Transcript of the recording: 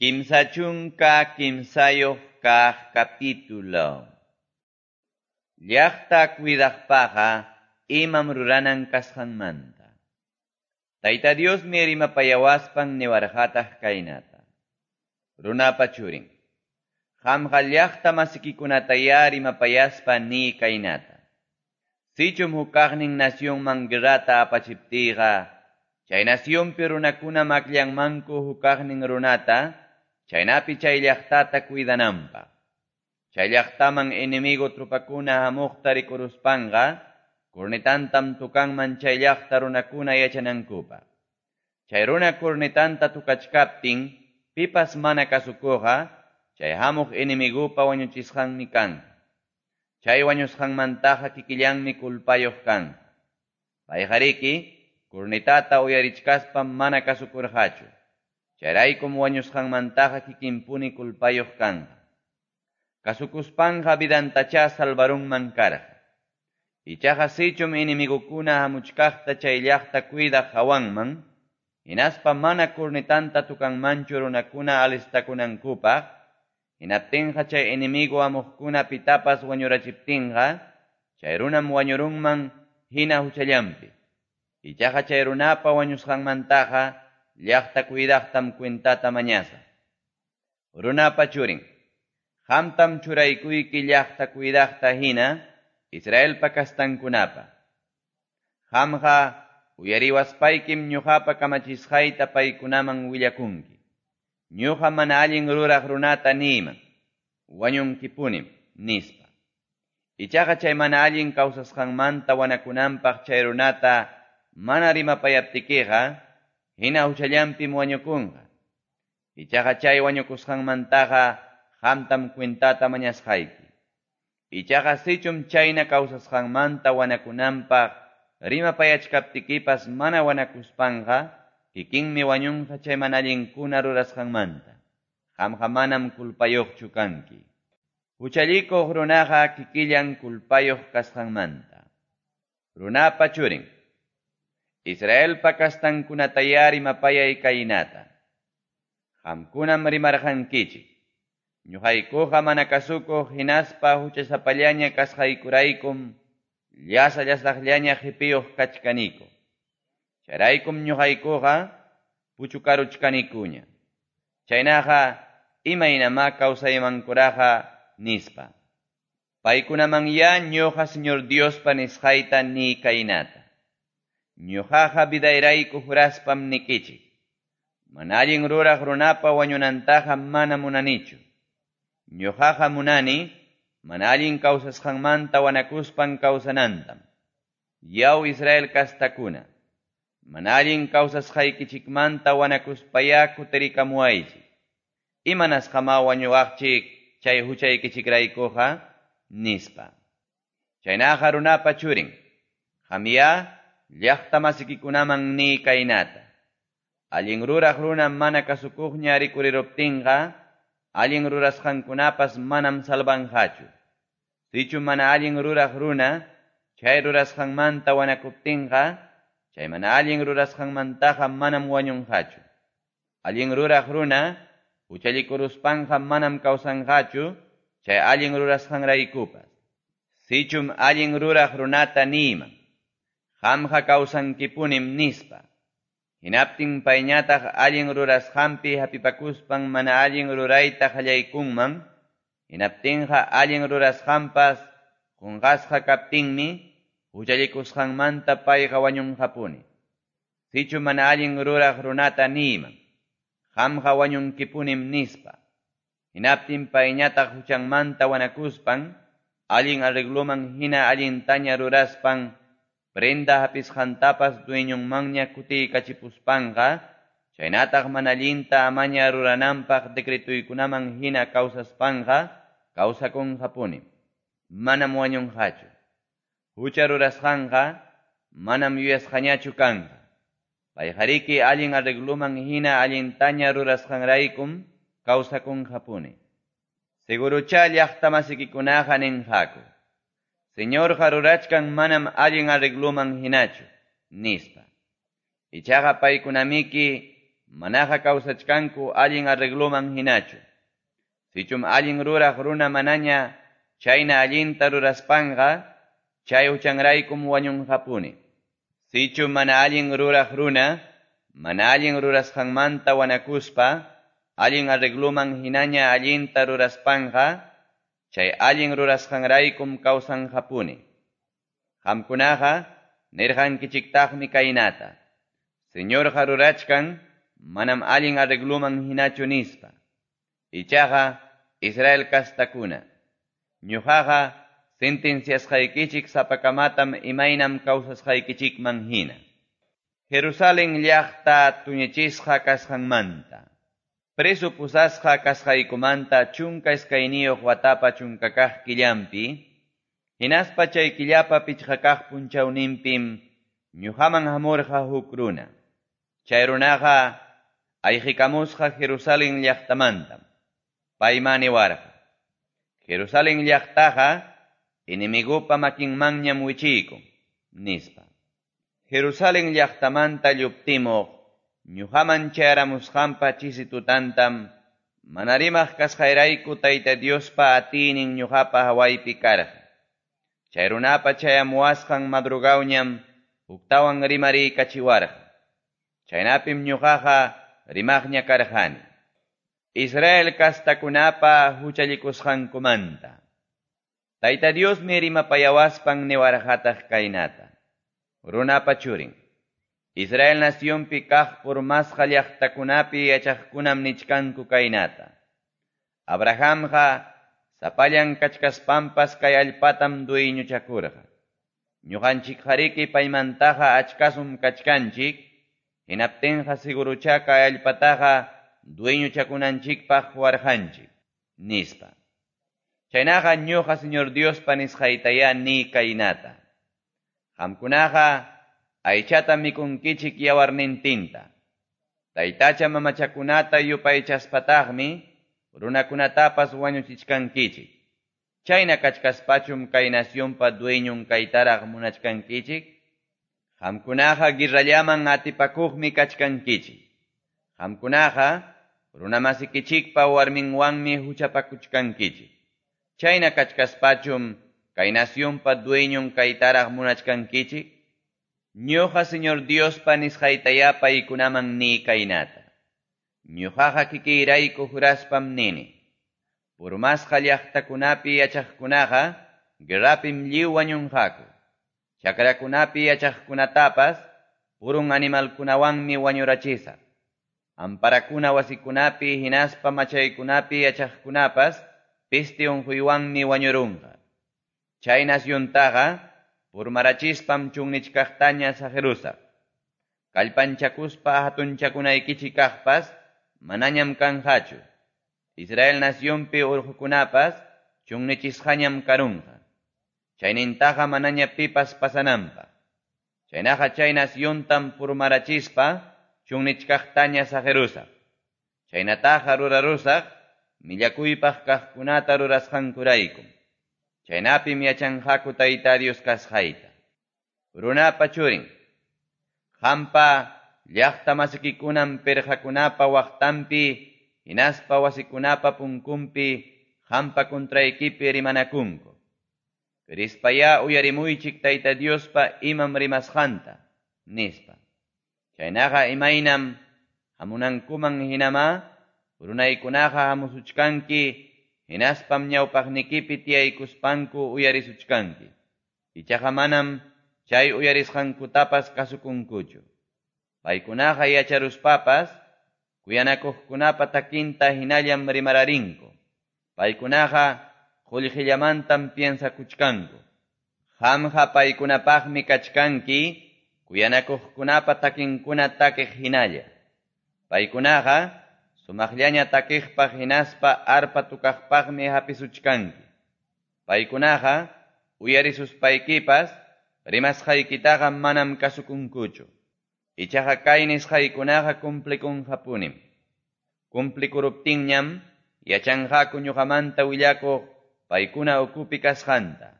33 kaq capítulo. Llaqta cuidaqpaqqa imam ruranan kasqanmanta. Tayta Diosmi rimapayawaspan niwarqataq kaynata. Runapa churin, qamqa llaqta masikikunatayá rimapayaspa niy kaynata. Sichum hukaqnin nacionman guerrata apachiptiyqa, chay nacionpi runakuna akllanmanku hukaqnin runata, chaynapi chay llaqtata cuidananpaq. Chay llaqtaman enemigo tropakuna hamuqta rikuruspanqa, cornetantam tukanman chay llaqta runakuna yachanankupaq. Chay runa cornetanta tukachkaptin, pipas mana kasukuqqa, chay hamuq enemigupa wañuchisqanmi kanqa. Chay wañusqanmantaqa kikillanmi culpayuq kanqa. Payqariki, cornetata uyarichkaspam mana kasukurqachu. Chayraykum wañusqanmantaqa kikinpuni culpayuq kanqa. Kasukuspanqa vidantachá salvarunman karqa. Ichaqa sichum enemigukuna hamuchkaqta chay llaqta cuidaq hawanman, hinaspa mana cornetanta tukanmanchu runakuna alistakunankupaq, hinaptinqa chay enemigo hamuqkuna pitapas wañurachiptinqa, chay runam wañurunman hina huchallanpi. Ichaqa chay runapa wañusqanmantaqa llaqta cuidaqtam cuentata mañasaq. Runapa churin, qamtam churaykuyki llaqta cuidaqta hina Israelpa kastankunapa. Qamqa uyariwaspaykim ñuqapa kamachisqayta paykunaman willakunki. Ñuqa mana allin ruraq runata niyman, wañunkipunim, nispa. Ichaqa chay mana allin kawsasqanmanta wanakunanpaq chay runata mana rimapayaptikiqa, hina huchallanpim wañukunqa. Ichaqa chay wañukusqanmantaqa qamtam cuentata mañasqayki. Ichaqa sichum chayna kawsasqanmanta wanakunanpaq rimapayachkaptikipas mana wanakuspanqa, kikinmi wañunqa chay mana allinkuna rurasqanmanta. Qamqa manam culpayuqchu kanki. Huchallikuq runaqa kikillan culpayuq kasqanmanta. Runapa churin, Israelpa kastankunatayá rimapayay kaynata. Qamkunam rimarqankichik. Ñuqaykuqa mana kasukuq hinaspa huchasapallaña kasqaykuraykum llasa llasaqllaña qhipiyuq kachkaniku. Chayraykum ñuqaykuqa puchukaruchkanikuña. Chaynaqa imaynamá kawsaymankuraqa nispa. Paykunamanyá ñuqa Señor Diospa nisqayta niy kaynata. Ñuqaqa vidayrayku juraspam nikichik. Mana allin ruraq runapa wañunantaqa mana munanichu. Ñuqaqa munani mana allin kawsasqanmanta wanakuspan kawsanantam. Yaw Israel kastakuna, mana allin kawsasqaykichikmanta wanakuspayá kutirikamuwaychik. Imanasqamá wañuwaqchik chay huchaykichikraykuqa, nispa. Chaynaqa runapa churin, qamyá llaqta masikikunaman niy kaynata. Allin ruraq runa mana kasukuqña rikuriruptinqa, allin rurasqankunapas manam salvanqachu. Sichu mana allin ruraq runa, chay rurasqanmanta wanakuptinqa, chay mana allin rurasqanmantaqa manam wañunqachu. Allin ruraq runa, huchallikuruspanqa manam kawsanqachu, chay allin rurasqanraykupas. Sichum allin ruraq runata niyman, qamqa kawsankipunim nispa. Hinaptin payñataq allin rurasqanpi hapipakuspan mana allin rurayta qallaykunman, hinaptinqa allin rurasqanpas qunqasqa kaptinmi huchallikusqanmanta payqa wañunqapuni. Sichu mana allin ruraq runata niyman, qamqa wañunkipunim nispa. Hinaptin payñataq huchanmanta wanakuspan, allin arregloman hina allintaña ruraspan, prenda hapisqantapas dueñonmanña kutiykachipuspanqa, chaynataq mana allinta amaña rurananpaq decretuykunaman hina kawsaspanqa, kawsakunqapuni. Manam wañunqachu. Hucha rurasqanqa manam yuyasqañachu kanqa. Payqariki allin arregloman hina allintaña rurasqanraykum kawsakunqapuni. Seguruchá llaqta masikikunaqa ninqaku. Señorqa rurachkan manam allin arregloman hinachu, nispa. Ichaqa paykunamiki manaqa kawsachkanku allin arregloman hinachu. Sichum allin ruraq runa manaña chayna allinta ruraspanqa, chay huchanraykum wañunqapuni. Sichum mana allin ruraq runa, mana allin rurasqanmanta wanakuspa, allin arregloman hinaña allinta ruraspanqa, chay allin rurasqanraykum kawsanqapuni. Qamkunaqa nirqankichiktaqmi kaynata: Señorqa rurachkan manam allin arregloman hinachu nispa. Ichaqa Israel kastakuna, ñuqaqa sentenciasqaykichik sapakamatam imaynam kawsasqaykichikman hina. Jerusalén llaqta tuñichisqa kasqanmanta. Preso pusasqa kasqaykumanta 12 watapa 10 kaq killampi, hinaspa chay killapa 5 kaq punchawninpim ñuqaman hamurqa huk runa. Chay runaqa ayqikamusqa Jerusalén llaqtamantam. Payma niwarqa: Jerusalén llaqtaqa enemigupa makinmanñam wichiykun, nispa. Jerusalén llaqtamanta lluptimuq ñuqaman chayaramusqanpa chisi tutantam mana rimaq kasqayrayku Tayta Diospa atiynin ñuqapa hawaypi karqa. Chay runapa chayamuwasqan madrugawñam huktawan rimariykachiwarqa. Chaynapim ñuqaqa rimaqña karqani. Israel kastakunapa huchallikusqankumanta. Tayta Diosmi rimapayawaspan niwarqataq kaynata: Runapa churin, Israel nacionpi kaq purmasqa llaqtakunapi yachaqkunam nichkanku kaynata: Abrahamqa sapallan kachkaspanpas kay allpatam dueñochakurqa. Ñuqanchikqariki paymantaqa achkasum kachkanchik, hinaptinqa seguruchá kay allpataqa dueñochakunanchikpaq warqanchik, nispa. Chaynaqa ñuqa Señor Diospa nisqaytayá ni kaynata: Qamkunaqa aychata mikunkichik yawarnintinta. Taytacha mamachakunata yupaychaspataqmi runakunatapas wañuchichkankichik. Chayna kachkaspachum kay nacionpa dueñon kaytaraq munachkankichik. Qamkunaqa guerrallaman atipakuqmi kachkankichik. Qamkunaqa runamasikichikpa warminwanmi huchapakuchkankichik. Chayna kachkaspachum kay nacionpa dueñon kaytaraq munachkankichik. Ñuqa Señor Diospa nisqaytayá paykunaman ni kaynata: Ñuqaqa kikiyrayku juraspam nini: Purmasqa llaqtakunapi yachaqkunaqa guerrapim lliw wañunqaku. Chakrakunapi yachaqkunatapas purun animalkunawanmi wañurachisaq. Amparakuna wasikunapi hinaspa machaykunapi yachaqkunapas peste unquywanmi wañurunqa. Chay naciontaqa purmarachispam chunnichkaqtaña saqirusaq. Kallpanchakuspa hatunchakunaykichik kaqpas manañam kanqachu. Israel nacionpi urqukunapas chunnichisqañam karunqa. Chaynintaqa manaña pipas pasananpaq. Chaynaqa chay naciontam purmarachispa chunnichkaqtaña saqirusaq. Chaynataqa rurarusaq millakuypaq kaqkunata rurasqankuraykum. Chaynapim yachanqaku Tayta Dios kasqayta. Runapa churin, qampa llaqta masikikunam pirqakunapa waqtanpi hinaspa wasikunapa punkunpi qampa contraykipi rimanakunku. Rispayá uyarimuychik Tayta Diospa imam rimasqanta, nispa. Chaynaqa imaynam hamunankuman hinama runaykunaqa hamusuchkanki, hinaspam ñawpaqnikipi tiyaykuspanku uyarisuchkanki. Ichaqa manam chay uyarisqankutapas kasukunkuchu. Paykunaqa yacharuspapas kuyanakuqkunapa takinta hinallam rimararinku. Paykunaqa qullqillamantam piensakuchkanku. Qamqa paykunapaqmi kachkanki kuyanakuqkunapa takinkuna takiq hinalla. Paykunaqa sumaqllaña takiqpaq hinaspa arpa tukaqpaqmi hapisuchkanki. Paykunaqa uyarisuspaykipas rimasqaykitaqa manam kasukunkuchu. Ichaqa kay nisqaykunaqa cumplikunqapunim. Cumplikuruptinñam yachanqaku ñuqamanta willakuq paykuna ukupi kasqanta.